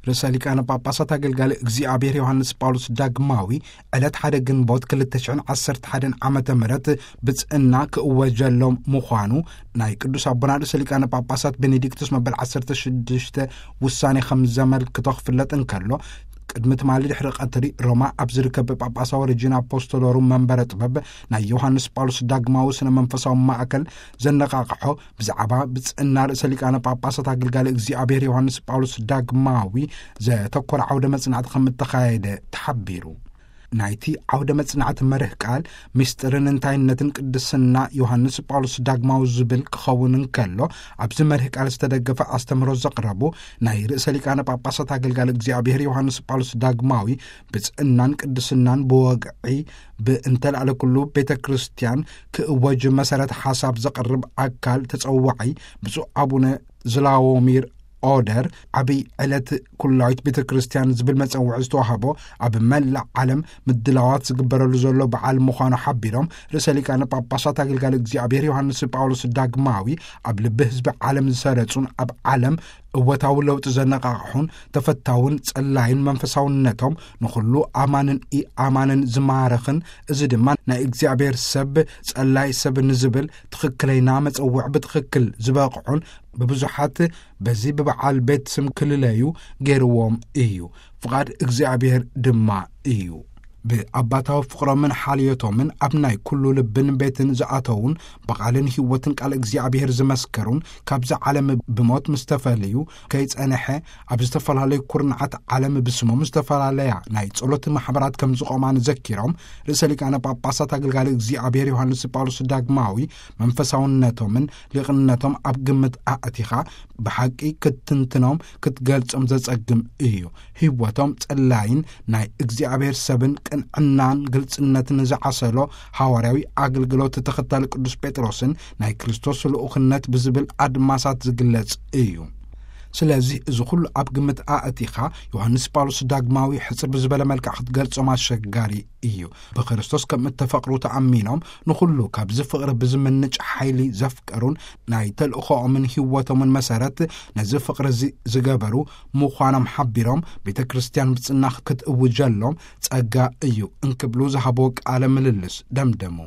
ርእሰ ሊቃነ ጳጳሳት ኣገልጋሊ እግዚኣብሔር ዮሃንስ ጳውሎስ ዳግማዊ ዕለት ሓደ ግንቦት ክልተ ሽሕን ዓሰርተ ሓደን ዓመተ ምህረት ብጽእና ክእወጀሎም ምዃኑ ናይ ቅዱስ ኣቦና ርእሰ ሊቃነ ጳጳሳት ቤኔዲክቱስ መበል ዓሰርተ ሽዱሽተ ውሳኔ ከም ዘመልክቶ ክፍለጥ እንከሎ፣ ቅድሚ ትማሊ ድሕሪ ቀትሪ ሮማ ኣብ ዝርከብ ጳጳሳዊ ሬጂና ኣፖስቶሎሩም መንበረ ጥበብ ናይ ዮሃንስ ጳውሎስ ዳግማዊ ስነ መንፈሳዊ ማእከል ዘነቓቕሖ ብዛዕባ ብጽእና ርእሰ ሊቃነ ጳጳሳት ኣገልጋሊ እግዚኣብሔር ዮሃንስ ጳውሎስ ዳግማዊ ዘተኮረ ዓውደ መጽናዕቲ ከም እተኻየደ ተሓቢሩ። ናይቲ ዓውደ መጽናዕቲ መርህ ቃል ምስጢርን እንታይነትን ቅድስና ዮሃንስ ጳውሎስ ዳግማዊ ዝብል ክኸውን እንከሎ፣ ኣብዚ መርህ ቃል ዝተደገፈ ኣስተምህሮ ዘቕረቡ ናይ ርእሰ ሊቃነ ጳጳሳት ኣገልጋሊ እግዚኣብሔር ዮሃንስ ጳውሎስ ዳግማዊ ብጽእናን ቅድስናን ብወግዒ ብእንተላዕለ ኩሉ ቤተ ክርስቲያን ክእወጅ መሰረት ሓሳብ ዘቕርብ ኣካል ተጸዋዒ ብፁዕ ኣቡነ ዝላዎሚር ኦደር ዓብይ ዕለት ኩላዊት ቤተ ክርስቲያን ዝብል መጸውዒ ዝተዋህቦ ኣብ መላእ ዓለም ምድላዋት ዝግበረሉ ዘሎ በዓል ምዃኑ ሓቢሮም፣ ርእሰ ሊቃነ ጳጳሳት ኣገልጋሊ እግዚኣብሔር ዮሃንስ ጳውሎስ ዳግማዊ ኣብ ልቢ ህዝቢ ዓለም ዝሰረጹን ኣብ ዓለም እወታዊ ለውጢ ዘነቓቕሑን ተፈታውን ጸላይን መንፈሳውነቶም ንኹሉ ኣማንን ኢኣማንን ዝማረኽን፣ እዚ ድማ ናይ እግዚኣብሔር ሰብ ጸላይ ሰብ ንዝብል ትኽክለይና መጸውዕ ብትኽክል ዝበቕዑን ብብዙሓት በዚ ብበዓል ቤት ስም ክልለዩ ገይርዎም እዩ። ፍቓድ እግዚኣብሔር ድማ እዩ። ብኣባታዊ ፍቕሮምን ሓልዮቶምን ኣብ ናይ ኩሉ ልብን ቤትን ዝኣተዉን ብቓልን ህይወትን ቃል እግዚኣብሔር ዝመስከሩን ካብዚ ዓለም ብሞት ምስ ተፈልዩ ከይጸንሐ ኣብ ዝተፈላለዩ ኩርናዓት ዓለም ብስሞም ዝተፈላለያ ናይ ጸሎት ማሕበራት ከም ዝቖማ ንዘኪሮም፣ ርእሰ ሊቃነ ጳጳሳት ኣገልጋሊ እግዚኣብሔር ዮሃንስ ጳውሎስ ዳግማዊ መንፈሳውነቶምን ሊቕነቶም ኣብ ግምት ኣእቲኻ ብሓቂ ክትትንትኖም ክትገልጾም ዘጸግም እዩ። ህይወቶም ጸላይን ናይ እግዚኣብሔር ሰብን ቅንዕናን ግልጽነትን ዝዓሰሎ ሃዋርያዊ ኣገልግሎት ተኸታሊ ቅዱስ ጴጥሮስን ናይ ክርስቶስ ልኡኽነት ብዝብል ኣድማሳት ዝግለጽ እዩ። ስለዚ እዚ ኩሉ ኣብ ግምት ኣእቲኻ ዮሃንስ ጳውሎስ ዳግማዊ ሕጽር ብዝበለ መልክዕ ክትገልጾም ኣሸጋሪ እዩ። ብክርስቶስ ከም እተፈቕሩ ተኣሚኖም ንኹሉ ካብዚ ፍቕሪ ብዝምንጭ ሓይሊ ዘፍቀሩን ናይ ተልእኾኦምን ህይወቶምን መሰረት ነዚ ፍቕሪ እዚ ዝገበሩ ምዃኖም ሓቢሮም፣ ቤተ ክርስቲያን ብጽና ክትእውጀሎም ጸጋ እዩ እንክብሉ ዝሃብዎ ቃለ ምልልስ ደምደሙ።